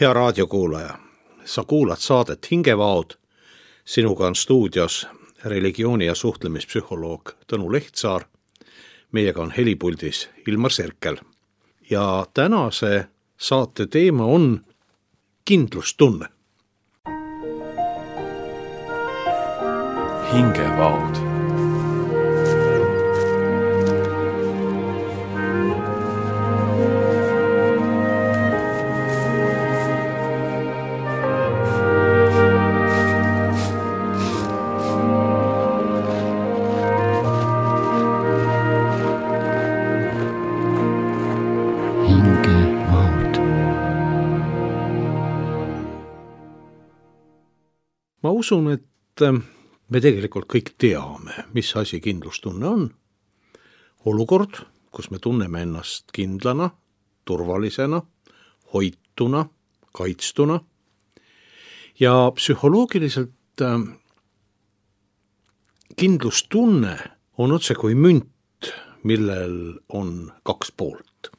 Hea raadiokuulaja, sa kuulad saadet Hingevaod. Sinuga on stuudios religiooni- ja suhtlemispsühholoog Tõnu Lehtsaar. Meiega on helipuldis Ilmar Serkel. Ja tänase saate teema on kindlustunne. Hingevaod. Ma usun, et me tegelikult kõik teame, mis asi kindlustunne on. Olukord, kus me tunneme ennast kindlana, turvalisena, hoituna, kaitstuna. Ja psühholoogiliselt kindlustunne on otse kui münt, millel on kaks poolt.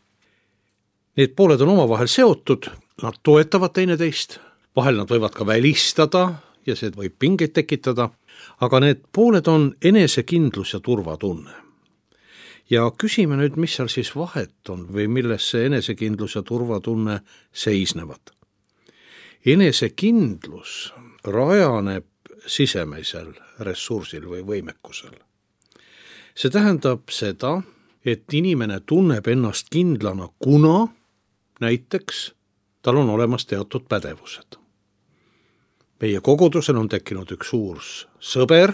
Need pooled on omavahel seotud, nad toetavad teineteist, vahel nad võivad ka välistada ja see võib pingeid tekitada, aga need pooled on enesekindlus ja turvatunne. Ja küsime nüüd, mis seal siis vahet on või milles see enesekindlus ja turvatunne seisnevad. Enesekindlus rajaneb sisemisel ressursil või võimekusel. See tähendab seda, et inimene tunneb ennast kindlana, kuna näiteks tal on olemas teatud pädevused. Meie kogudusel on tekkinud üks suur sõber,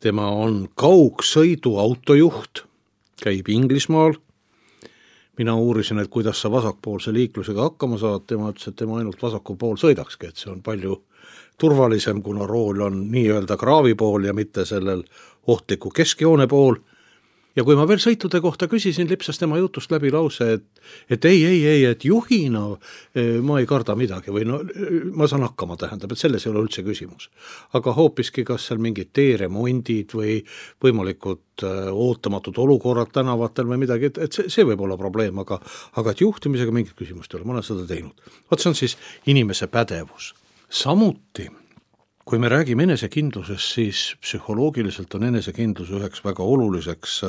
tema on kaugsõidu autojuht, käib Inglismaal. Mina uurisin, et kuidas sa vasakpoolse liiklusega hakkama saad, tema ütles, et tema ainult vasaku pool sõidakski, et see on palju turvalisem, kuna rool on nii-öelda kraavi pool ja mitte sellel ohtliku keskjoone pool. Ja kui ma veel sõitude kohta küsisin, lipsas tema jutust läbi lause, et ei, et juhina ma ei karda midagi või no, ma saan hakkama, tähendab, et selles ei ole üldse küsimus. Aga hoopiski kas seal mingid teeremondid või võimalikud ootamatud olukorrad tänavatel või midagi, et see võib olla probleem, aga et juhtimisega mingit küsimust ei ole, ma olen seda teinud. Vaat see on siis inimese pädevus. Samuti, kui me räägime enesekindlusest, siis psühholoogiliselt on enesekindlus üheks väga oluliseks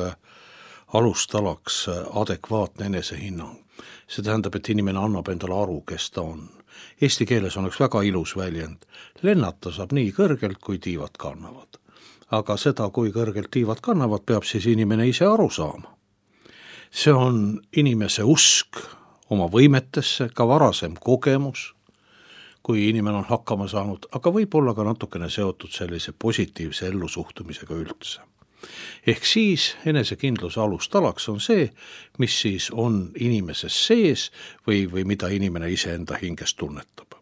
alustalaks adekvaatne enesehinnang. See tähendab, et inimene annab endale aru, kes ta on. Eesti keeles on üks väga ilus väljend. Lennata saab nii kõrgelt, kui tiivad kannavad. Aga seda, kui kõrgelt tiivad kannavad, peab siis inimene ise aru saama. See on inimese usk oma võimetesse, ka varasem kogemus, kui inimene on hakkama saanud, aga võib olla ka natukene seotud sellise positiivse ellusuhtumisega üldse. Ehk siis enesekindluse alustalaks on see, mis siis on inimeses sees või mida inimene iseenda hinges tunnetab.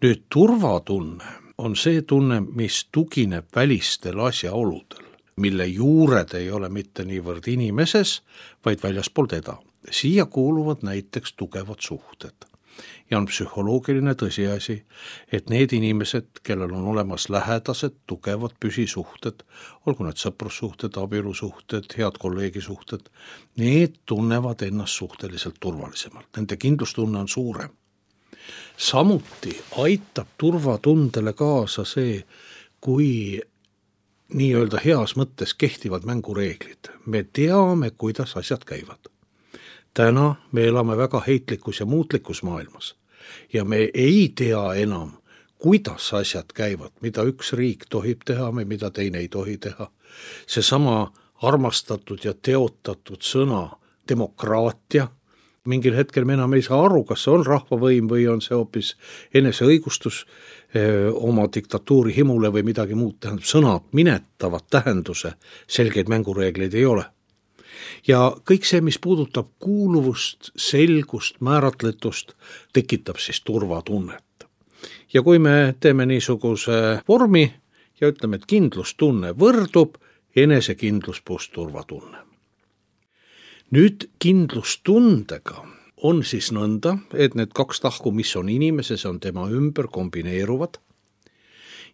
Nüüd turvatunne on see tunne, mis tugineb välistel asjaoludel, mille juured ei ole mitte niivõrd inimeses, vaid väljaspool teda. Siia kuuluvad näiteks tugevad suhted. Ja on psühholoogiline tõsiasi, et need inimesed, kellel on olemas lähedased, tugevad püsisuhted, olgu need sõprussuhted, abielusuhted, head kolleegisuhted, need tunnevad ennast suhteliselt turvalisemalt. Nende kindlustunne on suurem. Samuti aitab turvatundele kaasa see, kui nii-öelda heas mõttes kehtivad mängureeglid. Me teame, kuidas asjad käivad. Täna me elame väga heitlikus ja muutlikus maailmas ja me ei tea enam, kuidas asjad käivad, mida üks riik tohib teha või mida teine ei tohi teha. Seesama armastatud ja teotatud sõna demokraatia, mingil hetkel me enam ei saa aru, kas see on rahvavõim või on see hoopis eneseõigustus oma diktatuuri himule või midagi muud. Tähendab, sõnad minetavad tähenduse, selgeid mängureegleid ei ole. Ja kõik see, mis puudutab kuuluvust, selgust, määratletust, tekitab siis turvatunnet. Ja kui me teeme niisuguse vormi ja ütleme, et kindlustunne võrdub enesekindlus pluss turvatunne. Nüüd kindlustundega on siis nõnda, et need kaks tahku, mis on inimeses, on tema ümber, kombineeruvad.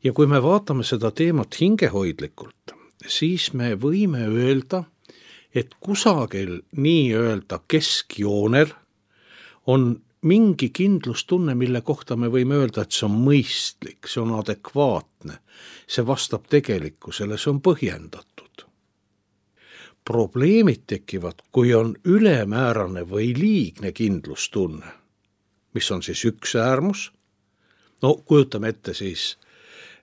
Ja kui me vaatame seda teemat hingehoidlikult, siis me võime öelda, et kusagil nii-öelda keskjoonel on mingi kindlustunne, mille kohta me võime öelda, et see on mõistlik, see on adekvaatne, see vastab tegelikkusele, see on põhjendatud. Probleemid tekivad, kui on ülemäärane või liigne kindlustunne, mis on siis üks äärmus. No kujutame ette siis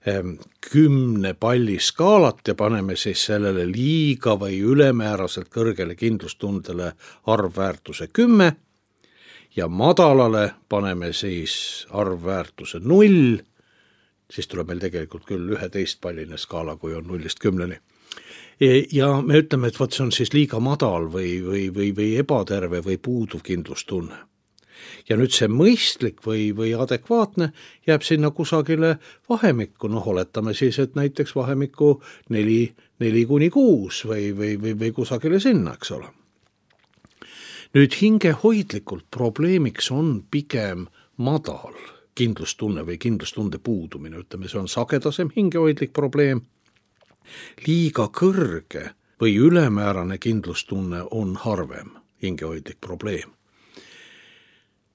10 palli skaalat ja paneme siis sellele liiga või ülemääraselt kõrgele kindlustundele arvväärtuse 10 ja madalale paneme siis arvväärtuse 0, siis tuleb meil tegelikult küll 11 palline skaala, kui on 0–10. Ja me ütleme, et võt see on siis liiga madal või ebaterve või puuduv kindlustunne. Ja nüüd see mõistlik või adekvaatne jääb sinna kusagile vahemikku, oletame siis, et näiteks vahemikku 4–6 või kusagile sinna, eks ole. Nüüd hingehoidlikult probleemiks on pigem madal kindlustunne või kindlustunde puudumine, ütleme, see on sagedasem hingehoidlik probleem. Liiga kõrge või ülemäärane kindlustunne on harvem hingehoidlik probleem.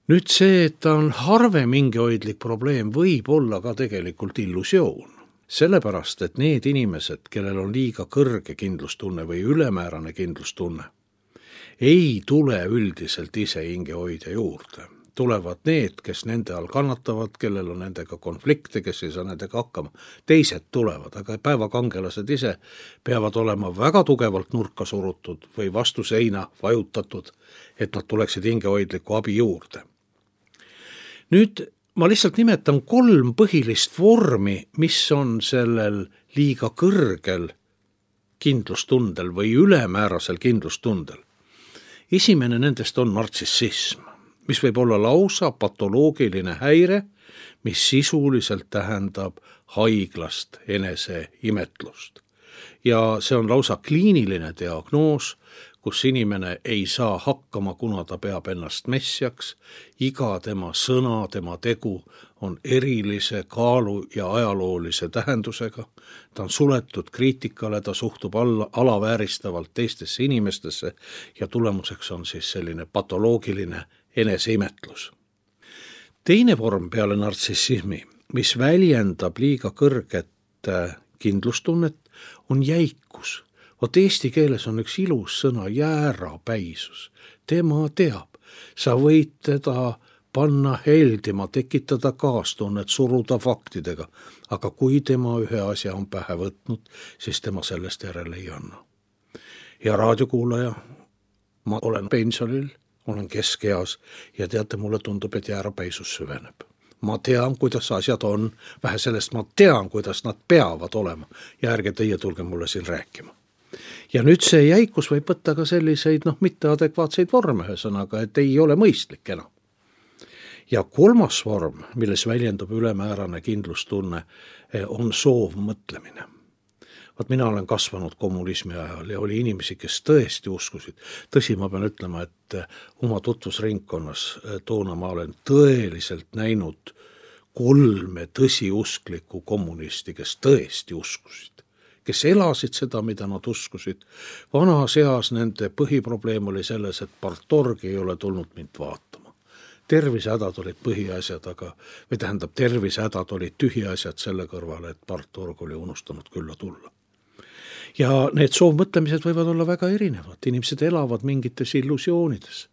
Nüüd see, et ta on harvem hingehoidlik probleem, võib olla ka tegelikult illusioon. Sellepärast, et need inimesed, kellel on liiga kõrge kindlustunne või ülemäärane kindlustunne, ei tule üldiselt ise hingehoidja juurde. Tulevad need, kes nende all kannatavad, kellel on nendega konflikte, kes ei saa nendega hakkama. Teised tulevad, aga päevakangelased ise peavad olema väga tugevalt nurka surutud või vastu seina vajutatud, et nad tuleksid hingehoidliku abi juurde. Nüüd ma lihtsalt nimetan 3 põhilist vormi, mis on sellel liiga kõrgel kindlustundel või ülemäärasel kindlustundel. Esimene nendest on nartsissism, mis võib olla lausa patoloogiline häire, mis sisuliselt tähendab haiglast eneseimetlust. Ja see on lausa kliiniline diagnoos, kus inimene ei saa hakkama, kuna ta peab ennast messiaks. Iga tema sõna, tema tegu on erilise kaalu ja ajaloolise tähendusega. Ta on suletud kriitikale, ta suhtub alavääristavalt teistesse inimestesse ja tulemuseks on siis selline patoloogiline eneseimetlus. Teine vorm peale nartsissismi, mis väljendab liiga kõrget kindlustunnet, on jäikus. Vot eesti keeles on üks ilus sõna, jäärapäisus. Tema teab, sa võid teda panna heldima, tekitada kaastunnet, suruda faktidega, aga kui tema ühe asja on pähe võtnud, siis tema sellest järele ei anna. Ja raadiokuulaja, ma olen pensionil, olen keskeas ja teate, mulle tundub, et jäärapäisus süveneb. Ma tean, kuidas asjad on, vähe sellest ma tean, kuidas nad peavad olema ja ärge teie tulge mulle siin rääkima. Ja nüüd see jäikus võib võtta ka selliseid mitteadekvaatseid vorme, ühesõnaga, et ei ole mõistlik enam. Ja 3. vorm, milles väljendub ülemäärane kindlustunne, on soovmõtlemine. Vaat mina olen kasvanud kommunismi ajal ja oli inimesi, kes tõesti uskusid. Tõsi, ma pean ütlema, et oma tutvusringkonnas toona ma olen tõeliselt näinud 3 tõsiusklikku kommunisti, kes tõesti uskusid, kes elasid seda, mida nad uskusid. Vanas eas nende põhiprobleem oli selles, et partorg ei ole tulnud mind vaatama. Tervisehädad olid põhiasjad, tervisehädad olid tühiasjad selle kõrvale, et partorg oli unustanud külla tulla. Ja need soovmõtlemised võivad olla väga erinevad. Inimesed elavad mingites illusioonides.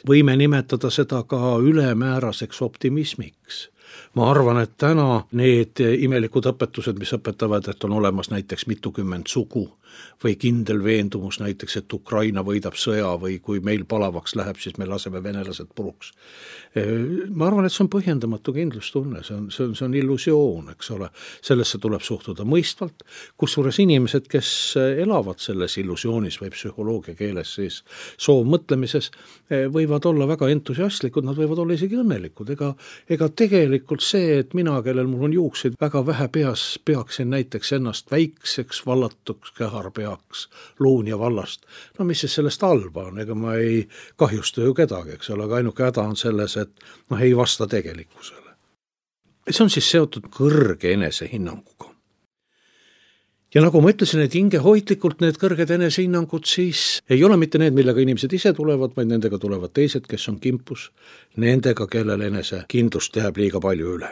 Võime nimetada seda ka ülemääraseks optimismiks. Ma arvan, et täna need imelikud õpetused, mis õpetavad, et on olemas näiteks mitukümmend sugu või kindel veendumus näiteks, et Ukraina võidab sõja või kui meil palavaks läheb, siis me laseme venelased puruks. Ma arvan, et see on põhjendamatu kindlustunne, see on illusioon, eks ole. Sellesse tuleb suhtuda mõistvalt, kusjuures inimesed, kes elavad selles illusioonis või psühholoogia keeles siis soovmõtlemises, võivad olla väga entusiastlikud, nad võivad olla isegi õnnelikud, ega tegelikult see, et mina, kellel mul on juukseid väga vähe peas, peaksin näiteks ennast väikseks vallatuks käharpeaks Luunja vallast. No mis siis sellest halba on, ega ma ei kahjusta ju kedagi, eks ole, aga ainuke häda on selles, et ei vasta tegelikkusele. See on siis seotud kõrge enesehinnanguga. Ja nagu ma ütlesin, et hingehoidlikult need kõrged enesehinnangud siis ei ole mitte need, millega inimesed ise tulevad, vaid nendega tulevad teised, kes on kimpus nendega, kellel enesekindlust jääb liiga palju üle.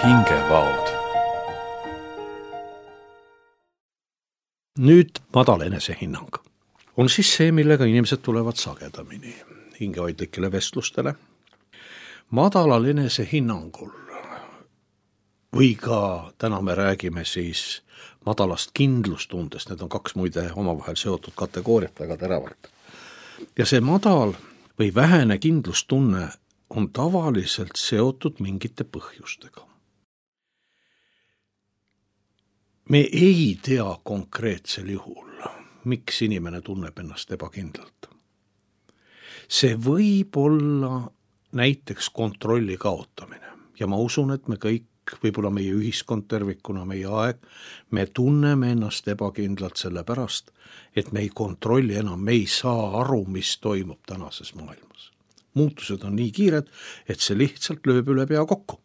hingevaod. Nüüd madal enesehinnang on siis see, millega inimesed tulevad sagedamini hingehoidlikele vestlustele. Madalal enesehinnangul või ka täna me räägime siis madalast kindlustundest, need on kaks muide omavahel seotud kategooriat väga teravalt. Ja see madal või vähene kindlustunne on tavaliselt seotud mingite põhjustega. Me ei tea konkreetsel juhul, miks inimene tunneb ennast ebakindlalt. See võib olla näiteks kontrolli kaotamine ja ma usun, et me kõik, võib-olla meie ühiskond tervikuna, meie aeg, me tunneme ennast ebakindlalt sellepärast, et me ei kontrolli enam, me ei saa aru, mis toimub tänases maailmas. Muutused on nii kiired, et see lihtsalt lööb üle pea kokku.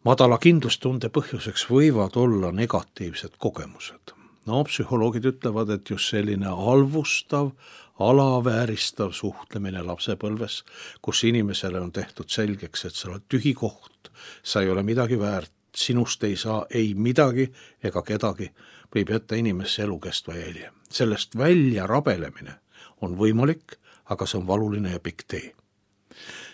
Madala kindlustunde põhjuseks võivad olla negatiivsed kogemused. No, psühholoogid ütlevad, et just selline halvustav, alavääristav suhtlemine lapsepõlves, kus inimesele on tehtud selgeks, et sa oled tühi koht, sa ei ole midagi väärt, sinust ei saa ei midagi ega kedagi, võib jätta inimesse elukestva jälje. Sellest välja rabelemine on võimalik, aga see on valuline ja pikk tee.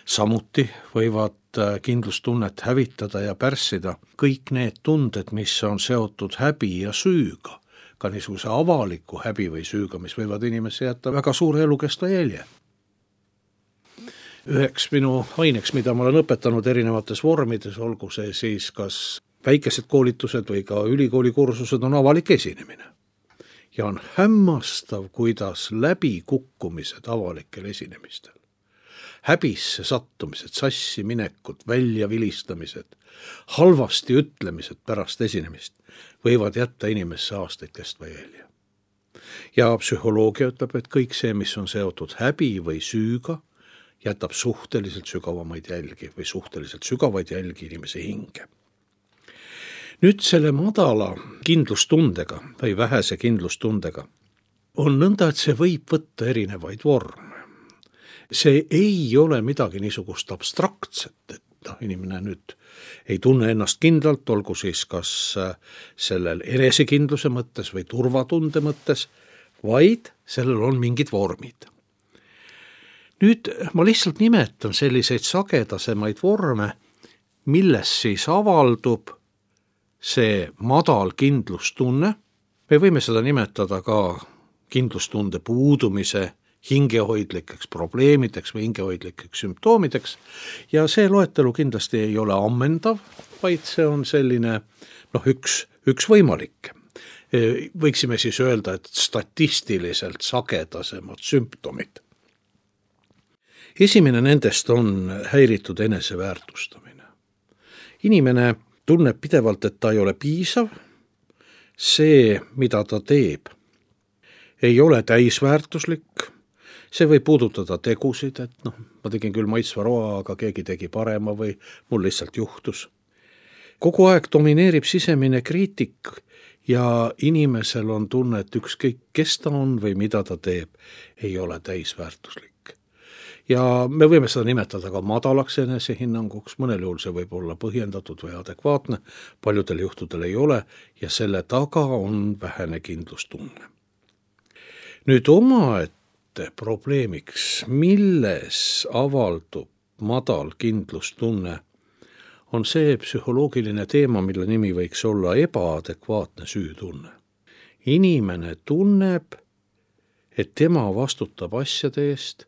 Samuti võivad kindlustunnet hävitada ja pärssida kõik need tunded, mis on seotud häbi ja süüga, ka niisuguse avaliku häbi või süüga, mis võivad inimesse jätta väga suure elukestva jälje. Üheks minu aineks, mida ma olen õpetanud erinevates vormides, olgu see siis kas väikesed koolitused või ka ülikoolikursused, on avalik esinemine. Ja on hämmastav, kuidas läbikukkumised avalikel esinemistel, häbisse sattumised, sassi minekud, välja vilistamised, halvasti ütlemised pärast esinemist võivad jätta inimesse aastaid kestva jälje. Ja psühholoogia ütleb, et kõik see, mis on seotud häbi või süüga, jätab suhteliselt sügavamaid jälgi või suhteliselt sügavaid jälgi inimese hinge. Nüüd selle madala kindlustundega või vähese kindlustundega on nõnda, et see võib võtta erinevaid vorme. See ei ole midagi niisugust abstraktset, et inimene nüüd ei tunne ennast kindlalt, olgu siis kas sellel enesekindluse mõttes või turvatunde mõttes, vaid sellel on mingid vormid. Nüüd ma lihtsalt nimetan selliseid sagedasemaid vorme, milles siis avaldub see madal kindlustunne. Me võime seda nimetada ka kindlustunde puudumise hingehoidlikeks probleemideks või hingehoidlikeks sümptoomideks ja see loetelu kindlasti ei ole ammendav, vaid see on selline üks võimalik. Võiksime siis öelda, et statistiliselt sagedasemad sümptomid. Esimene nendest on häiritud eneseväärtustamine. Inimene tunneb pidevalt, et ta ei ole piisav, see, mida ta teeb, ei ole täisväärtuslik. See võib puudutada tegusid, et ma tegin küll maitsva roa, aga keegi tegi parema või mul lihtsalt juhtus. Kogu aeg domineerib sisemine kriitik ja inimesel on tunne, et ükskõik kes ta on või mida ta teeb, ei ole täisväärtuslik. Ja me võime seda nimetada ka madalaks enesehinnanguks, mõnel juhul see võib olla põhjendatud või adekvaatne, paljudel juhtudel ei ole ja selle taga on vähene kindlustunne. Nüüd omaette probleemiks, milles avaldub madal kindlustunne, on see psühholoogiline teema, mille nimi võiks olla ebaadekvaatne süütunne. Inimene tunneb, et tema vastutab asjade eest,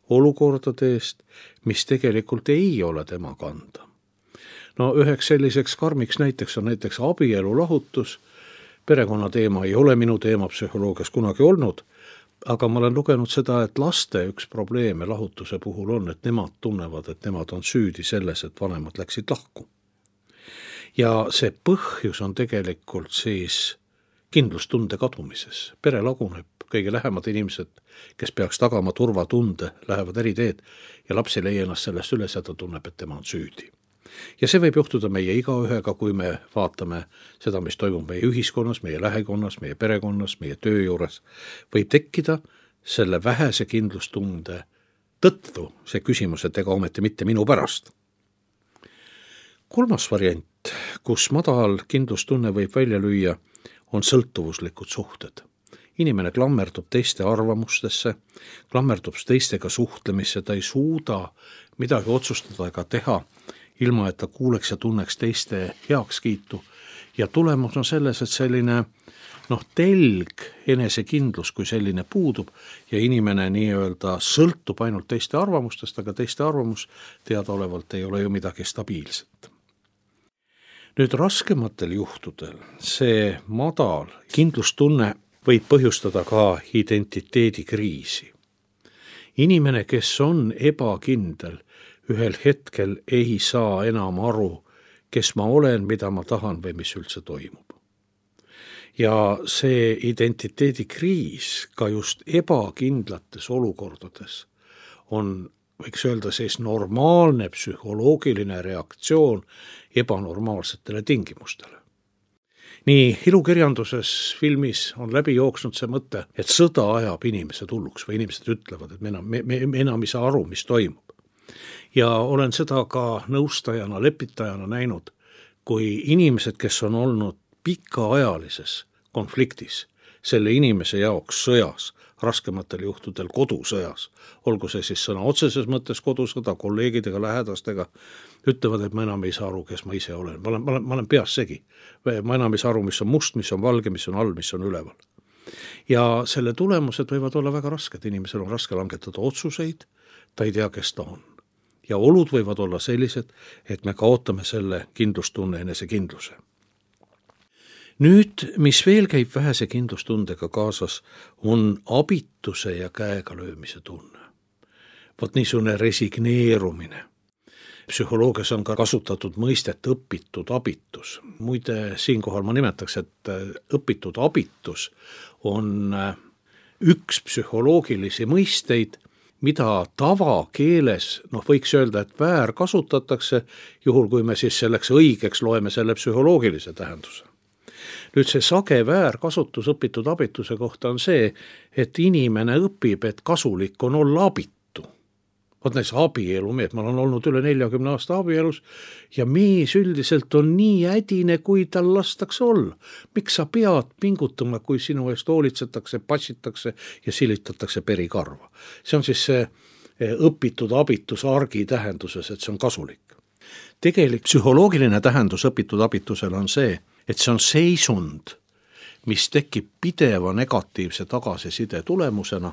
olukordade eest, mis tegelikult ei ole tema kanda. Üheks selliseks karmiks näiteks on näiteks abielu lahutus. Perekonna teema ei ole minu teema psühholoogias kunagi olnud, aga ma olen lugenud seda, et laste üks probleeme lahutuse puhul on, et nemad tunnevad, et nemad on süüdi selles, et vanemad läksid lahku. Ja see põhjus on tegelikult siis kindlustunde kadumises. Pere laguneb, kõige lähemad inimesed, kes peaks tagama turvatunde, lähevad eri teed ja laps ei leia ennast sellest üles ja ta tunneb, et tema on süüdi. Ja see võib juhtuda meie igaühega, kui me vaatame seda, mis toimub meie ühiskonnas, meie lähikonnas, meie perekonnas, meie töö juures. Võib tekkida selle vähese kindlustunde tõttu see küsimus, et ega ometi mitte minu pärast. Kolmas variant, kus madal kindlustunne võib välja lüüa, on sõltuvuslikud suhted. Inimene klammerdub teiste arvamustesse, klammerdub teistega suhtlemisse, ta ei suuda midagi otsustada ega teha, ilma et ta kuuleks ja tunneks teiste heakskiitu. Ja tulemus on selles, et selline telg, enesekindlus kui selline puudub ja inimene nii-öelda sõltub ainult teiste arvamustest, aga teiste arvamus teadaolevalt ei ole ju midagi stabiilset. Nüüd raskematel juhtudel see madal kindlustunne võib põhjustada ka identiteedikriisi. Inimene, kes on ebakindel, ühel hetkel ei saa enam aru, kes ma olen, mida ma tahan või mis üldse toimub. Ja see identiteedikriis ka just ebakindlates olukordades on, võiks öelda, siis normaalne psühholoogiline reaktsioon ebanormaalsetele tingimustele. Nii ilukirjanduses, filmis on läbi jooksnud see mõte, et sõda ajab inimesed hulluks või inimesed ütlevad, et me enam ei saa aru, mis toimub. Ja olen seda ka nõustajana, lepitajana näinud, kui inimesed, kes on olnud pikaajalises konfliktis, selle inimese jaoks sõjas, raskematel juhtudel kodusõjas, olgu see siis sõna otseses mõttes kodusõda, kolleegidega, lähedastega, ütlevad, et ma enam ei saa aru, kes ma ise olen. Ma olen peas segi. Ma enam ei saa aru, mis on must, mis on valge, mis on all, mis on üleval. Ja selle tulemused võivad olla väga rasked. Inimesel on raske langetada otsuseid, ta ei tea, kes ta on. Ja olud võivad olla sellised, et me kaotame selle kindlustunne, enesekindluse. Nüüd, mis veel käib vähese kindlustundega kaasas, on abituse ja käega löömise tunne. Vot niisugune resigneerumine. Psühholoogias on ka kasutatud mõistet õpitud abitus. Muide, siinkohal ma nimetaks, et õpitud abitus on üks psühholoogilisi mõisteid, mida tavakeeles, võiks öelda, et väär kasutatakse, juhul kui me siis selleks õigeks loeme selle psühholoogilise tähenduse. Nüüd see sage väärkasutus õpitud abituse kohta on see, et inimene õpib, et kasulik on olla abitu. Vot näiteks abielumees, ma olen olnud üle 40 aasta abielus ja mees üldiselt on nii ädine, kui tal lastakse olla. Miks sa pead pingutama, kui sinu eest hoolitsetakse, passitakse ja silitatakse perikarva? See on siis see õpitud abitus argi tähenduses, et see on kasulik. Tegelik psühholoogiline tähendus õpitud abitusel on see, et see on seisund, mis tekib pideva negatiivse tagasiside tulemusena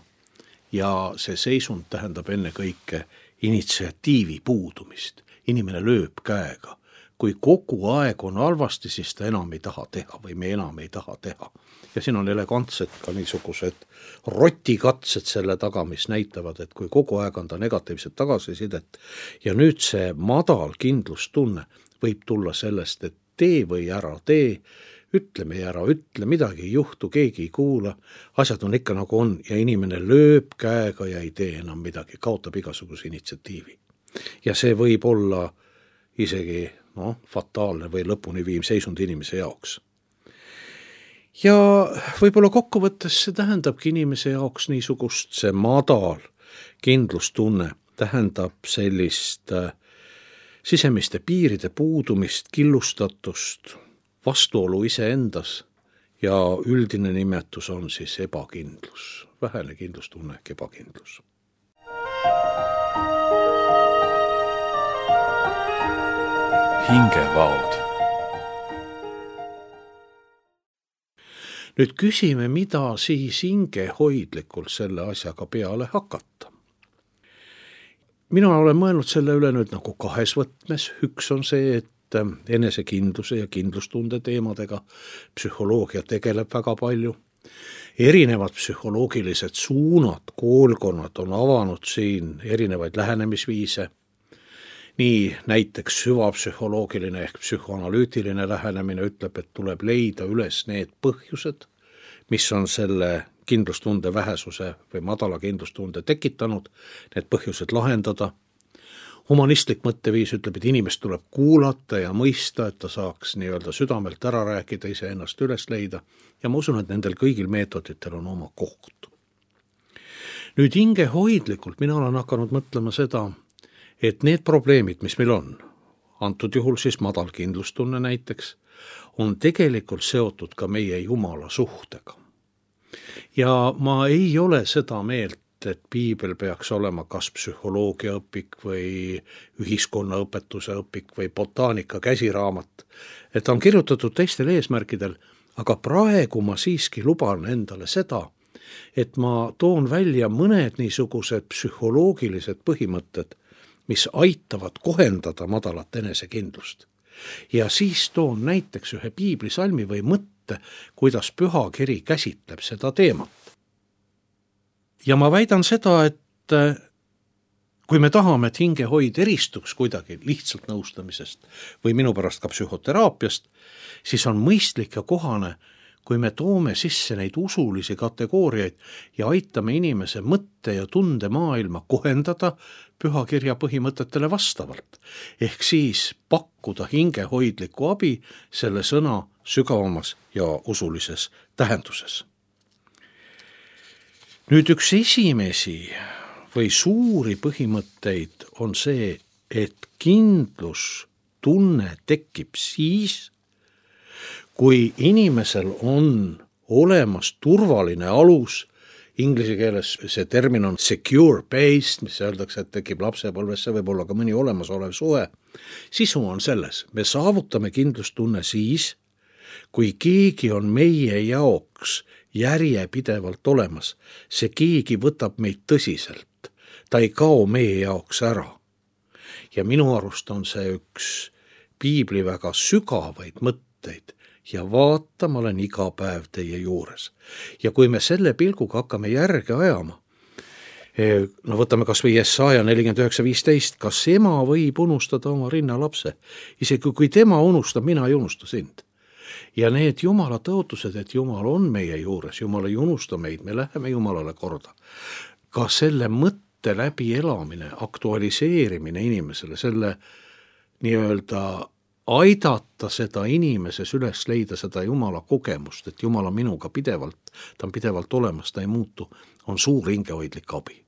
ja see seisund tähendab ennekõike initsiatiivi puudumist. Inimene lööb käega. Kui kogu aeg on halvasti, siis ta enam ei taha teha või me enam ei taha teha. Ja siin on elegantsed ka niisugused rotikatsed selle taga, mis näitavad, et kui kogu aeg on ta negatiivset tagasisidet ja nüüd see madal kindlustunne võib tulla sellest, et tee või ära tee, ütle või ära ütle, midagi ei juhtu, keegi ei kuula, asjad on ikka nagu on ja inimene lööb käega ja ei tee enam midagi, kaotab igasuguse initsiatiivi. Ja see võib olla isegi fataalne või lõpuni viim seisund inimese jaoks. Ja võib-olla kokkuvõttes see tähendabki inimese jaoks niisugust, see madal kindlustunne tähendab sellist sisemiste piiride puudumist, killustatust, vastuolu iseendas ja üldine nimetus on siis ebakindlus, vähene kindlustunne ehk ebakindlus. Hingevaod. Nüüd küsime, mida siis hingehoidlikult selle asjaga peale hakata. Mina olen mõelnud selle üle nüüd nagu kahes võtmes. Üks on see, et enesekindluse ja kindlustunde teemadega psühholoogia tegeleb väga palju. Erinevad psühholoogilised suunad, koolkonnad on avanud siin erinevaid lähenemisviise. nii näiteks süvapsühholoogiline ehk psühhoanalüütiline lähenemine ütleb, et tuleb leida üles need põhjused, mis on selle kindlustunde vähesuse või madala kindlustunde tekitanud, need põhjused lahendada. Humanistlik mõtteviis ütleb, et inimest tuleb kuulata ja mõista, et ta saaks nii-öelda südamelt ära rääkida, iseennast üles leida ja ma usun, et nendel kõigil meetoditel on oma koht. Nüüd hingehoidlikult mina olen hakanud mõtlema seda, et need probleemid, mis meil on, antud juhul siis madal kindlustunne näiteks, on tegelikult seotud ka meie Jumala suhtega. Ja ma ei ole seda meelt, et piibel peaks olema kas psühholoogiaõpik või ühiskonnaõpetuse õpik või botaanika käsiraamat, et ta on kirjutatud teistel eesmärkidel, aga praegu ma siiski luban endale seda, et ma toon välja mõned niisugused psühholoogilised põhimõtted, mis aitavad kohendada madalat enesekindlust. Ja siis toon näiteks ühe piiblisalmi või mõtte, kuidas pühakiri käsitleb seda teemat. Ja ma väidan seda, et kui me tahame, et hingehoid eristuks kuidagi lihtsalt nõustamisest või minu pärast ka psühhoteraapiast, siis on mõistlik ja kohane, kui me toome sisse neid usulisi kategooriaid ja aitame inimese mõtte ja tunde maailma kohendada pühakirja põhimõtetele vastavalt, ehk siis pakkuda hingehoidlikku abi selle sõna sügavamas ja usulises tähenduses. Nüüd üks esimesi või suuri põhimõtteid on see, et kindlustunne tekib siis, kui inimesel on olemas turvaline alus, inglise keeles see termin on secure base, mis öeldakse, et tekib lapsepõlves, see võib olla ka mõni olemasolev suhe. Sisu on selles, me saavutame kindlustunne siis, kui keegi on meie jaoks järjepidevalt olemas, see keegi võtab meid tõsiselt, ta ei kao meie jaoks ära. Ja minu arust on see üks piibli väga sügavaid mõtteid, ja vaata, ma olen iga päev teie juures. Ja kui me selle pilguga hakkame järge ajama, no võtame kas või Jesaja 49:15, kas ema võib unustada oma rinnalapse? Isegi kui tema unustab, mina ei unusta sind. Ja need Jumala tõotused, et Jumal on meie juures, Jumal ei unusta meid, me läheme Jumalale korda. Ka selle mõtte läbi elamine, aktualiseerimine inimesele, selle nii-öelda aidata seda inimeses üles leida seda Jumala kogemust, et Jumal on minuga pidevalt, ta on pidevalt olemas, ta ei muutu, on suur hingehoidlik abi.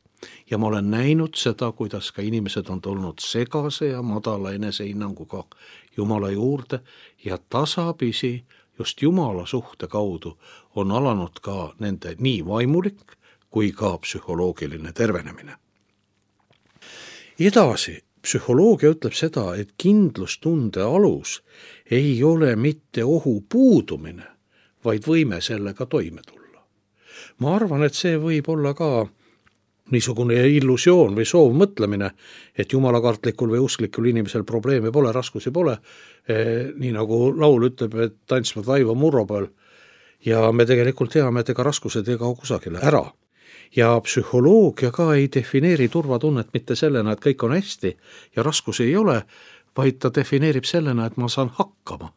Ja ma olen näinud seda, kuidas ka inimesed on tulnud segase ja madala enesehinnanguga Jumala juurde ja tasapisi just Jumala suhte kaudu on alanud ka nende nii vaimulik kui ka psühholoogiline tervenemine. Edasi, psühholoogia ütleb seda, et kindlustunde alus ei ole mitte ohu puudumine, vaid võime sellega toime tulla. Ma arvan, et see võib olla ka niisugune illusioon või soovmõtlemine, et jumalakartlikul või usklikul inimesel probleeme pole, raskusi pole, nii nagu laul ütleb, et tantsvad vaiva murro peal ja me tegelikult teame, et ega raskused ei kao kusagile ära. Ja psühholoogia ka ei defineeri turvatunnet mitte sellena, et kõik on hästi ja raskusi ei ole, vaid ta defineerib sellena, et ma saan hakkama.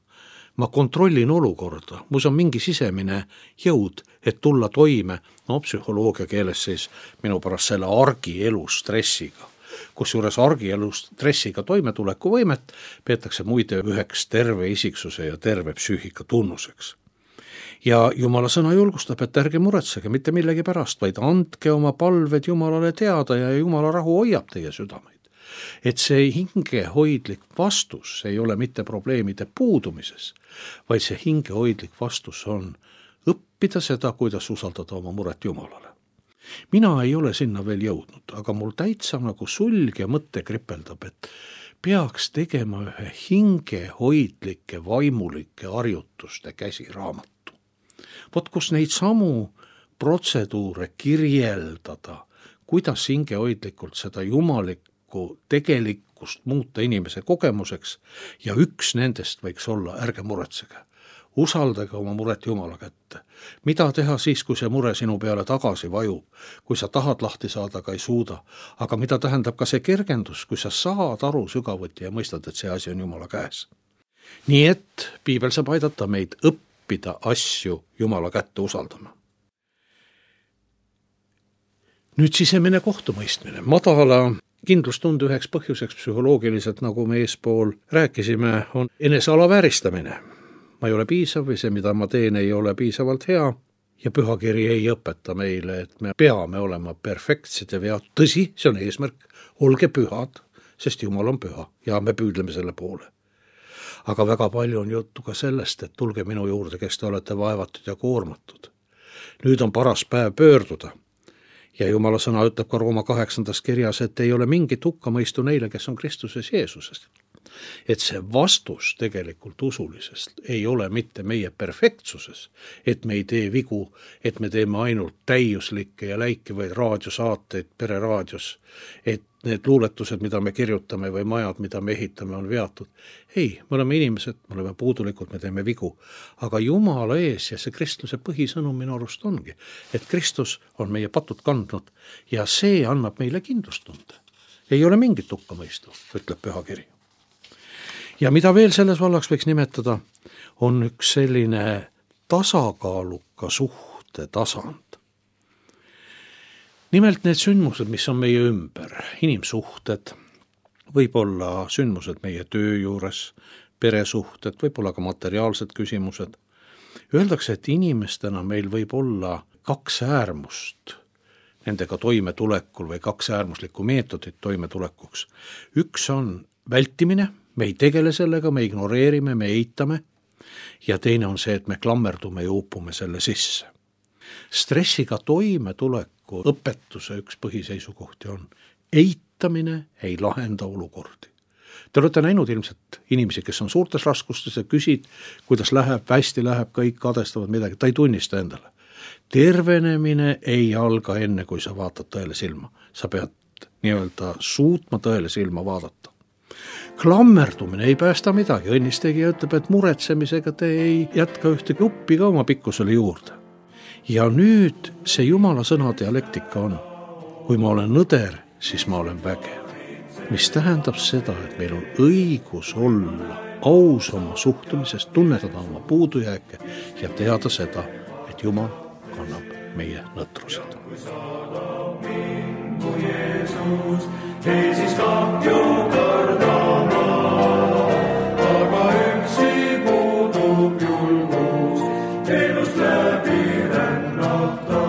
Ma kontrollin olukorda, mus on mingi sisemine jõud, et tulla toime, psühholoogia keeles siis minu pärast selle argielu stressiga. Kusjuures argielu stressiga toimetuleku võimet peetakse muide üheks terve isiksuse ja terve psüühika tunnuseks. Ja Jumala sõna julgustab, et ärge muretsege mitte millegi pärast, vaid andke oma palved Jumalale teada ja Jumala rahu hoiab teie südameid. Et see hingehoidlik vastus ei ole mitte probleemide puudumises, vaid see hingehoidlik vastus on õppida seda, kuidas usaldada oma muret Jumalale. Mina ei ole sinna veel jõudnud, aga mul täitsa nagu sulg ja mõte kripeldab, et peaks tegema ühe hingehoidlike vaimulike harjutuste käsiraamatu. Vot kus neid samu protseduure kirjeldada, kuidas hingehoidlikult seda jumalikku tegelikkust muuta inimese kogemuseks ja üks nendest võiks olla, ärge muretsege, usaldage oma muret Jumala kätte. Mida teha siis, kui see mure sinu peale tagasi vajub, kui sa tahad lahti saada, aga ei suuda, aga mida tähendab ka see kergendus, kui sa saad aru sügavuti ja mõistad, et see asi on Jumala käes. Nii et piibel saab aidata meid õppida asju Jumala kätte usaldama. Nüüd sisemine kohtumõistmine. Madala kindlustunde üheks põhjuseks psühholoogiliselt, nagu me eespool rääkisime, on enese alavääristamine. Ma ei ole piisav või see, mida ma teen, ei ole piisavalt hea ja pühakiri ei õpeta meile, et me peame olema perfektsed ja vead. Tõsi, see on eesmärk, olge pühad, sest Jumal on püha ja me püüdleme selle poole. Aga väga palju on juttu ka sellest, et tulge minu juurde, kes te olete vaevatud ja koormatud. Nüüd on paras päev pöörduda. Ja Jumala sõna ütleb ka Rooma 8. kirjas, et ei ole mingit hukkamõistu neile, kes on Kristuses Jeesuses. Et see vastus tegelikult usulisest ei ole mitte meie perfektsuses, et me ei tee vigu, et me teeme ainult täiuslikke ja läikivaid raadiosaateid pereraadios, et need luuletused, mida me kirjutame või majad, mida me ehitame, on veatud. Ei, me oleme inimesed, me oleme puudulikud, me teeme vigu. Aga Jumala ees ja see kristluse põhisõnum minu arust ongi, et Kristus on meie patud kandnud ja see annab meile kindlustunde. Ei ole mingit hukkamõistu, ütleb pühakiri. Ja mida veel selles vallaks võiks nimetada, on üks selline tasakaaluka suhte tasand. Nimelt need sündmused, mis on meie ümber, inimsuhted, võib-olla sündmused meie töö juures, peresuhted, võib-olla ka materiaalsed küsimused. Öeldakse, et inimestena meil võib olla 2 äärmust nendega toimetulekul või 2 äärmuslikku meetodit toimetulekuks. Üks on vältimine, me ei tegele sellega, me ignoreerime, me eitame ja teine on see, et me klammerdume ja upume selle sisse. Stressiga toimetuleku õpetuse üks põhiseisukohti on eitamine ei lahenda olukordi. Te olete näinud ilmselt inimesi, kes on suurtes raskustes ja küsid, kuidas läheb, hästi läheb, kõik kadestavad midagi, ta ei tunnista endale. Tervenemine ei alga enne, kui sa vaatad tõele silma. Sa pead nii-öelda suutma tõele silma vaadata. Klammerdumine ei päästa midagi. Õnnistegija ütleb, et muretsemisega te ei jätka ühte gruppi ka oma pikkusele juurde. Ja nüüd see Jumala sõna dialektika on. Kui ma olen nõder, siis ma olen vägev. Mis tähendab seda, et meil on õigus olla aus oma suhtumisest, tunnetada oma puudujääke ja teada seda, et Jumal kannab meie nõtrused. Jeesus, ei siis kahju kardama, aga üksi puudub julgus, elust läbi rännata.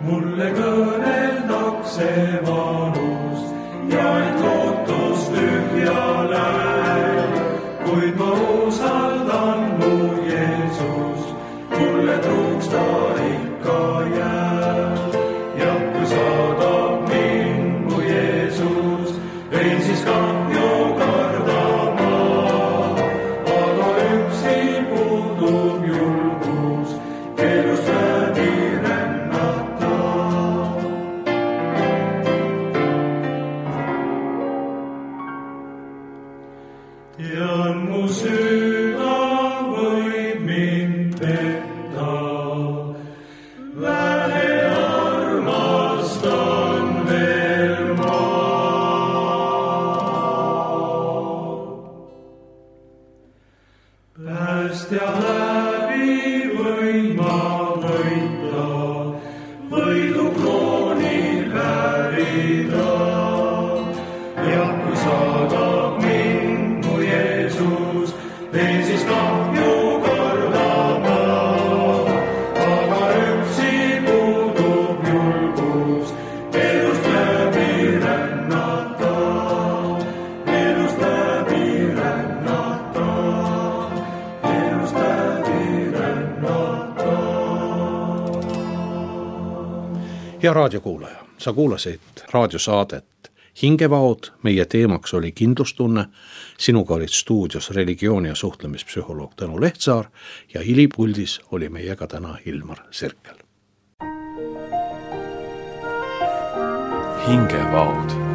Mulle kõneldakse vanust ja et lootus tühja läheb, kuid ma usaldan mu Jeesus, mulle truuks ta ikka jääb. Ja kui saadab mind mu Jeesus, ei siis kahju kardama, aga üksi puudub julgus, elust läbi rännata. Ja mu süda võib mind petta, vähe armastan veel ma. Päästja läbi võin ma võita, võidu krooni väärida. Ja kui saadab mind mu Jeesus, ei siis kahju kardama, aga üksi puudub julgus, elust läbi rännata, elust läbi rännata, elust läbi rännata. Hea raadiokuulaja, sa kuulasid raadiosaadet Hingevaod, meie teemaks oli kindlustunne, sinuga olid stuudios religiooni- ja suhtlemispsühholoog Tõnu Lehtsaar ja hilipuldis oli meiega täna Ilmar Sirkel. Hingevaod